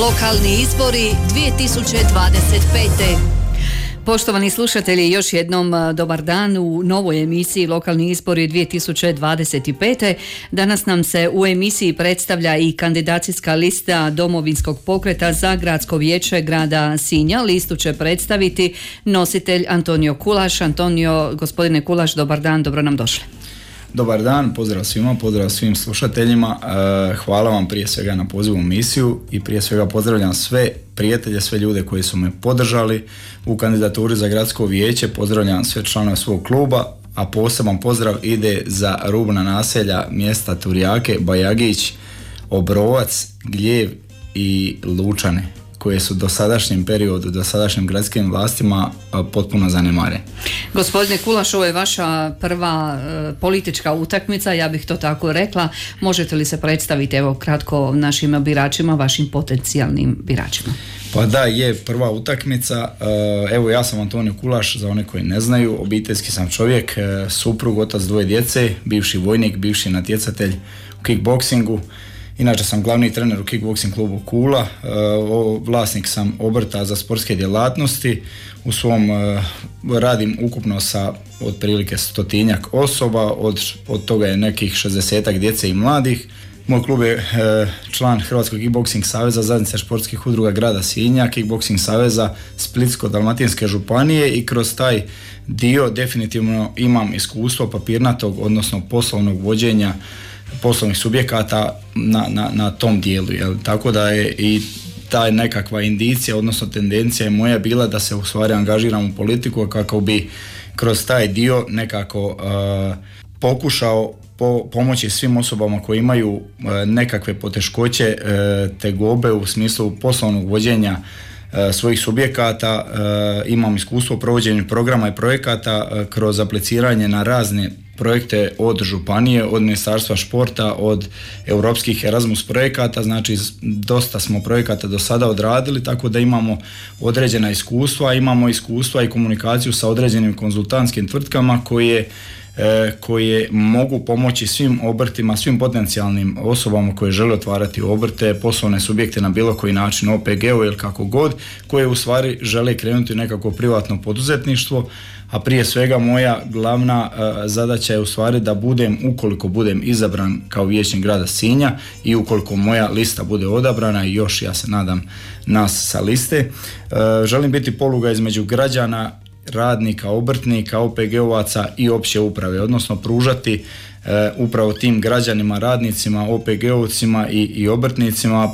Lokalni izbori 2025. Poštovani slušatelji, još jednom dobar dan u novoj emisiji Lokalni izbori 2025. Danas nam se u emisiji predstavlja i kandidacijska lista Domovinskog pokreta za gradsko vijeće grada Sinja. Listu će predstaviti nositelj Antonio Kulaš. Antonio, gospodine Kulaš, dobar dan, dobro nam došli. Dobar dan, pozdrav svima, pozdrav svim slušateljima. Hvala vam prije svega na pozivu u emisiju i prije svega pozdravljam sve prijatelje, sve ljude koji su me podržali u kandidaturi za gradsko vijeće. Pozdravljam sve članove svog kluba, a poseban pozdrav ide za rubna naselja mjesta Turjake, Bajagić, Obrovac, Gljev i Lučane, koje su dosadašnjem periodu, dosadašnjim gradskim vlastima potpuno zanemare. Gospodine Kulaš, ovo je vaša prva politička utakmica, ja bih to tako rekla. Možete li se predstaviti evo kratko našim biračima, vašim potencijalnim biračima? Pa da, je prva utakmica. Evo, ja sam Antonio Kulaš, za one koji ne znaju, obiteljski sam čovjek, suprug, otac dvoje djece, bivši vojnik, bivši natjecatelj u kickboksingu. Inače sam glavni trener u kickboksing klubu Kula, vlasnik sam obrta za sportske djelatnosti. U svom radim ukupno sa otprilike 100-tinjak osoba, od toga je nekih 60-ak djece i mladih. Moj klub je član Hrvatskog kickboksing saveza, zajednice športskih udruga grada Sinja, kickboksing saveza Splitsko-dalmatinske županije, i kroz taj dio definitivno imam iskustvo papirnatog, odnosno poslovnog vođenja poslovnih subjekata na tom dijelu, jel? Tako da je i ta nekakva indicija, odnosno tendencija je moja bila da se u stvari angažiram u politiku kako bi kroz taj dio nekako pokušao pomoći svim osobama koji imaju nekakve poteškoće, tegobe u smislu poslovnog vođenja svojih subjekata. Imam iskustvo u provođenju programa i projekata kroz apliciranje na razne projekte od županije, od Ministarstva športa, od europskih Erasmus projekata. Znači dosta smo projekata do sada odradili, tako da imamo određena iskustva, imamo iskustva i komunikaciju sa određenim konzultantskim tvrtkama koje mogu pomoći svim obrtima, svim potencijalnim osobama koje žele otvarati obrte, poslovne subjekte na bilo koji način, OPG-u ili kako god, koje u stvari žele krenuti u nekako privatno poduzetništvo. A prije svega moja glavna zadaća je u stvari da ukoliko budem izabran kao vijećnik grada Sinja i ukoliko moja lista bude odabrana, i još ja se nadam nas sa liste, želim biti poluga između građana, radnika, obrtnika, OPG-ovaca i opće uprave, odnosno pružati upravo tim građanima, radnicima, OPG-ovcima i obrtnicima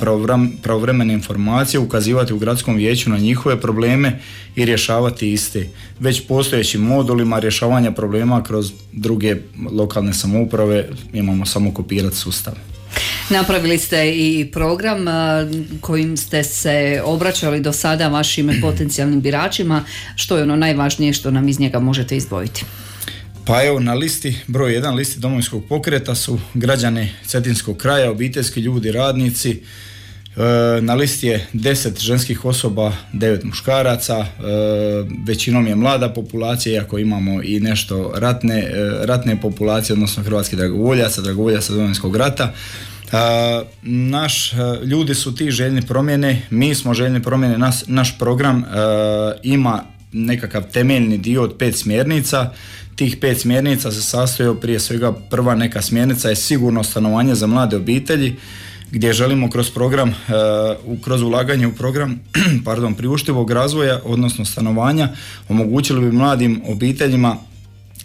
pravovremene informacije, ukazivati u gradskom vijeću na njihove probleme i rješavati iste. Već postojećim modulima rješavanja problema kroz druge lokalne samouprave imamo samo kopirati sustav. Napravili ste i program kojim ste se obraćali do sada vašim potencijalnim biračima. Što je ono najvažnije što nam iz njega možete izdvojiti? Pa evo, na listi, broj 1 listi Domovinskog pokreta su građani Cetinskog kraja, obiteljski ljudi, radnici. Na listi je 10 ženskih osoba, 9 muškaraca, većinom je mlada populacija, iako imamo i nešto ratne populacije, odnosno hrvatskih dragovoljaca Domovinskog rata. Ljudi su ti željni promjene, mi smo željni promjene, naš program ima nekakav temeljni dio od 5 smjernica. Tih 5 smjernica se sastoji prije svega, prva neka smjernica je sigurno stanovanje za mlade obitelji, gdje želimo kroz program, kroz ulaganje u program priuštivog razvoja, odnosno stanovanja, omogućili bi mladim obiteljima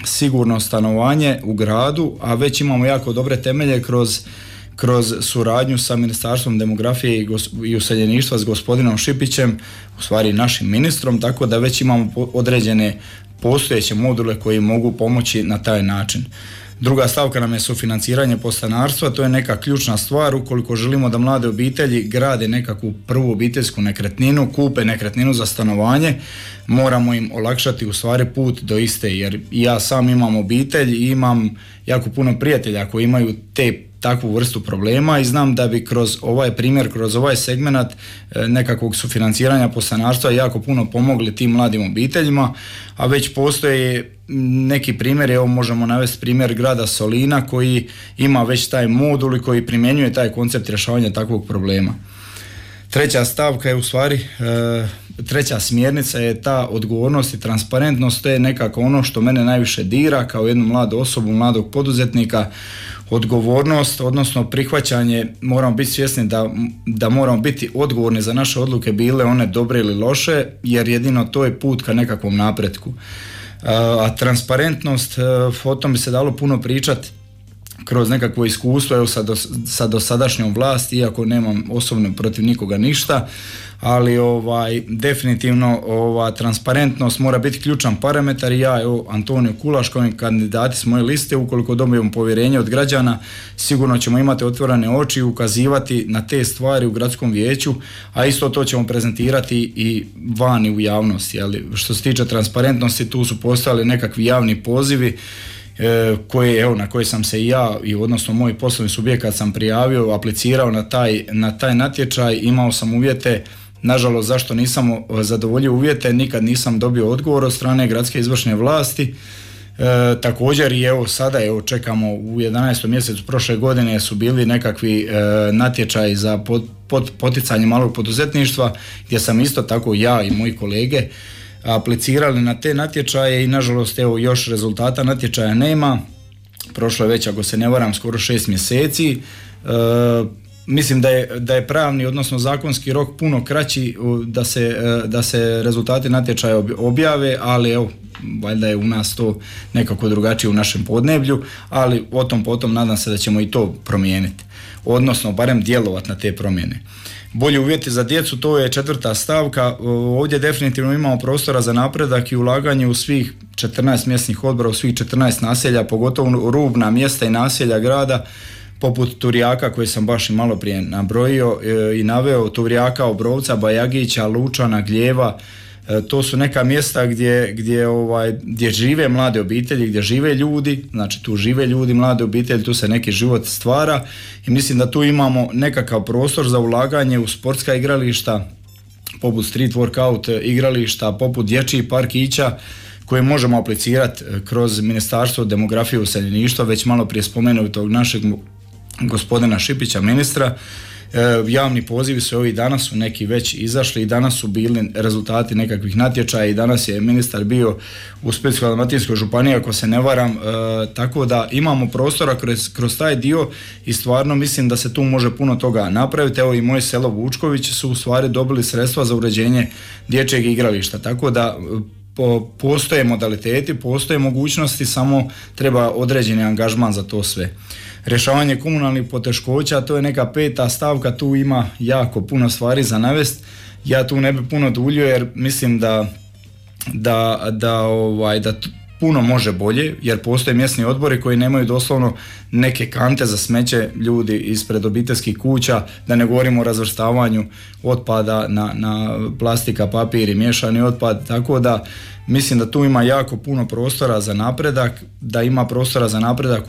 sigurno stanovanje u gradu, a već imamo jako dobre temelje kroz suradnju sa Ministarstvom demografije i useljeništva s gospodinom Šipićem, u stvari našim ministrom, tako da već imamo određene postojeće module koji mogu pomoći na taj način. Druga stavka nam je sufinanciranje podstanarstva, to je neka ključna stvar. Ukoliko želimo da mlade obitelji grade nekakvu prvu obiteljsku nekretninu, kupe nekretninu za stanovanje, moramo im olakšati u stvari put do iste, jer ja sam imam obitelj i imam jako puno prijatelja koji imaju takvu vrstu problema i znam da bi kroz ovaj primjer, kroz ovaj segment nekakvog sufinanciranja podstanarstva jako puno pomogli tim mladim obiteljima, a već postoje neki primjer, evo možemo navesti primjer grada Solina koji ima već taj modul i koji primjenjuje taj koncept rješavanja takvog problema. Treća stavka je u stvari, treća smjernica je ta odgovornost i transparentnost, to je nekako ono što mene najviše dira kao jednu mladu osobu, mladog poduzetnika. Odgovornost, odnosno prihvaćanje, moramo biti svjesni da moramo biti odgovorni za naše odluke, bile one dobre ili loše, jer jedino to je put ka nekakvom napretku. A transparentnost, o tom bi se dalo puno pričati kroz nekakvo iskustvo, evo sa dosadašnjom vlasti, iako nemam osobno protiv nikoga ništa, ali definitivno transparentnost mora biti ključan parametar i ja, evo, Antonio Kulaš, kao kandidati s moje liste, ukoliko dobijemo povjerenje od građana, sigurno ćemo imati otvorene oči i ukazivati na te stvari u gradskom vijeću, a isto to ćemo prezentirati i vani u javnosti. Ali što se tiče transparentnosti, tu su postojali nekakvi javni pozivi na koje sam se i ja i odnosno moj poslovni subjekat sam prijavio, aplicirao na taj natječaj, imao sam uvjete. Nažalost, zašto nisam zadovoljio uvjete, nikad nisam dobio odgovor od strane gradske izvršne vlasti. Također i sada čekamo u 11. mjesecu prošle godine su bili nekakvi natječaji za poticanje malog poduzetništva, gdje sam isto tako ja i moji kolege aplicirali na te natječaje i nažalost još rezultata natječaja nema. Prošlo je već, ako se ne varam, skoro 6 mjeseci. Mislim da je pravni, odnosno zakonski rok puno kraći da se rezultati natječaja objave, ali valjda je u nas to nekako drugačije u našem podneblju, ali o tom potom nadam se da ćemo i to promijeniti, odnosno barem djelovati na te promjene. Bolji uvjeti za djecu, to je 4. stavka. Ovdje definitivno imamo prostora za napredak i ulaganje u svih 14 mjesnih odbora, u svih 14 naselja, pogotovo rubna mjesta i naselja grada, poput Turijaka koje sam baš i malo prije nabrojio i naveo, Turijaka, Obrovca, Bajagića, Lučana, Gljeva. To su neka mjesta gdje žive mlade obitelji, gdje žive ljudi, znači tu žive ljudi, mlade obitelji, tu se neki život stvara i mislim da tu imamo nekakav prostor za ulaganje u sportska igrališta, poput street workout igrališta, poput dječjih parkića koje možemo aplicirati kroz Ministarstvo demografije i useljeništva, već malo prije spomenutog našeg gospodina Šipića, ministra. Javni pozivi su ovih danas su neki već izašli i danas su bili rezultati nekakvih natječaja i danas je ministar bio u Splitsko-dalmatinskoj županiji, ako se ne varam, tako da imamo prostora kroz taj dio i stvarno mislim da se tu može puno toga napraviti. Evo i moje selo Vučković su u stvari dobili sredstva za uređenje dječjeg igrališta, tako da postoje modaliteti, postoje mogućnosti, samo treba određeni angažman za to sve. Rješavanje komunalnih poteškoća, to je neka 5. stavka, tu ima jako puno stvari za navest. Ja tu ne bi puno duljio jer mislim da puno može bolje, jer postoje mjesni odbori koji nemaju doslovno neke kante za smeće ljudi ispred obiteljskih kuća, da ne govorimo o razvrstavanju otpada na plastika, papir i miješani otpad, tako da mislim da tu ima jako puno prostora za napredak, da ima prostora za napredak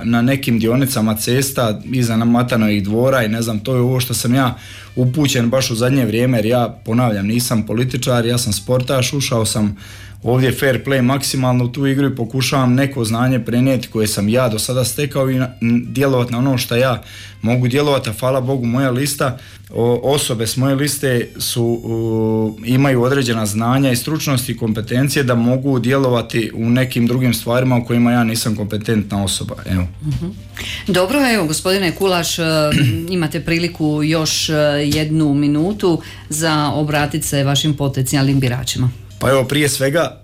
na nekim dionicama cesta iza Matanovih dvora i ne znam, to je ovo što sam ja upućen baš u zadnje vrijeme, jer ja ponavljam, nisam političar, ja sam sportaš, ušao sam ovdje fair play maksimalno u tu igru i pokušavam neko znanje prenijeti koje sam ja do sada stekao i djelovati na ono što ja mogu djelovati, a hvala Bogu moja lista, osobe s moje liste imaju određena znanja i stručnosti i kompetencije da mogu djelovati u nekim drugim stvarima u kojima ja nisam kompetentna osoba. Evo. Dobro, evo gospodine Kulaš, imate priliku još 1 minutu za obratiti se vašim potencijalnim biračima. Pa evo, prije svega,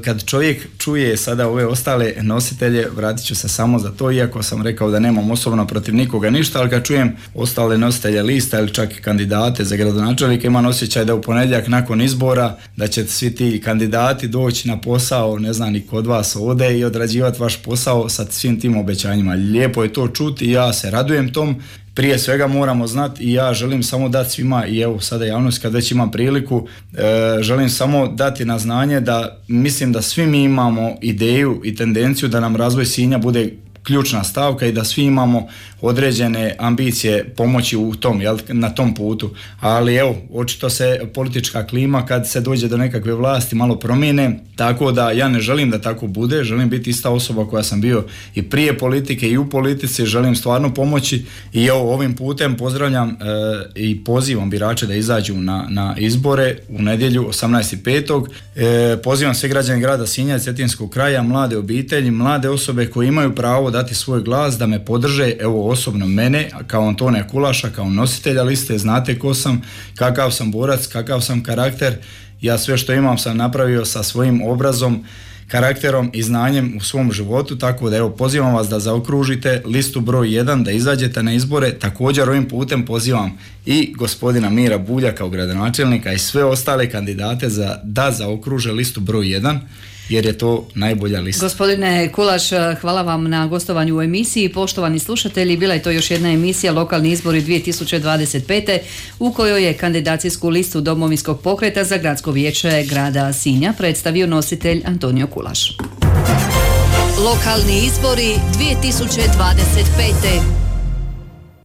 kad čovjek čuje sada ove ostale nositelje, vratit ću se samo za to, iako sam rekao da nemam osobno protiv nikoga ništa, ali kad čujem ostale nositelje lista ili čak i kandidate za gradonačelnika, imam osjećaj da u ponedjeljak nakon izbora, da će svi ti kandidati doći na posao, ne znam, ni kod vas ovdje i odrađivati vaš posao sa svim tim obećanjima. Lijepo je to čuti i ja se radujem tom. Prije svega moramo znati i ja želim samo dati svima, i evo sada javnost kad već imam priliku, želim samo dati na znanje da mislim da svi mi imamo ideju i tendenciju da nam razvoj Sinja bude ključna stavka i da svi imamo određene ambicije pomoći u tom, na tom putu. Ali evo, očito se politička klima kad se dođe do nekakve vlasti malo promijene, tako da ja ne želim da tako bude, želim biti ista osoba koja sam bio i prije politike i u politici, želim stvarno pomoći i evo ovim putem pozdravljam i pozivam birače da izađu na izbore u nedjelju 18.5. Pozivam sve građane grada Sinja i Cetinskog kraja, mlade obitelji, mlade osobe koji imaju pravo dati svoj glas da me podrže, evo osobno mene kao Antonija Kulaša, kao nositelja liste, znate ko sam, kakav sam borac, kakav sam karakter, ja sve što imam sam napravio sa svojim obrazom, karakterom i znanjem u svom životu, tako da evo pozivam vas da zaokružite listu broj 1, da izađete na izbore. Također ovim putem pozivam i gospodina Mira Bulja kao gradonačelnika i sve ostale kandidate da zaokruže listu broj 1, jer je to najbolja lista. Gospodine Kulaš, hvala vam na gostovanju u emisiji. Poštovani slušatelji, bila je to još jedna emisija Lokalni izbori 2025. u kojoj je kandidacijsku listu Domovinskog pokreta za gradsko vijeće grada Sinja predstavio nositelj Antonio Kulaš. Lokalni izbori 2025.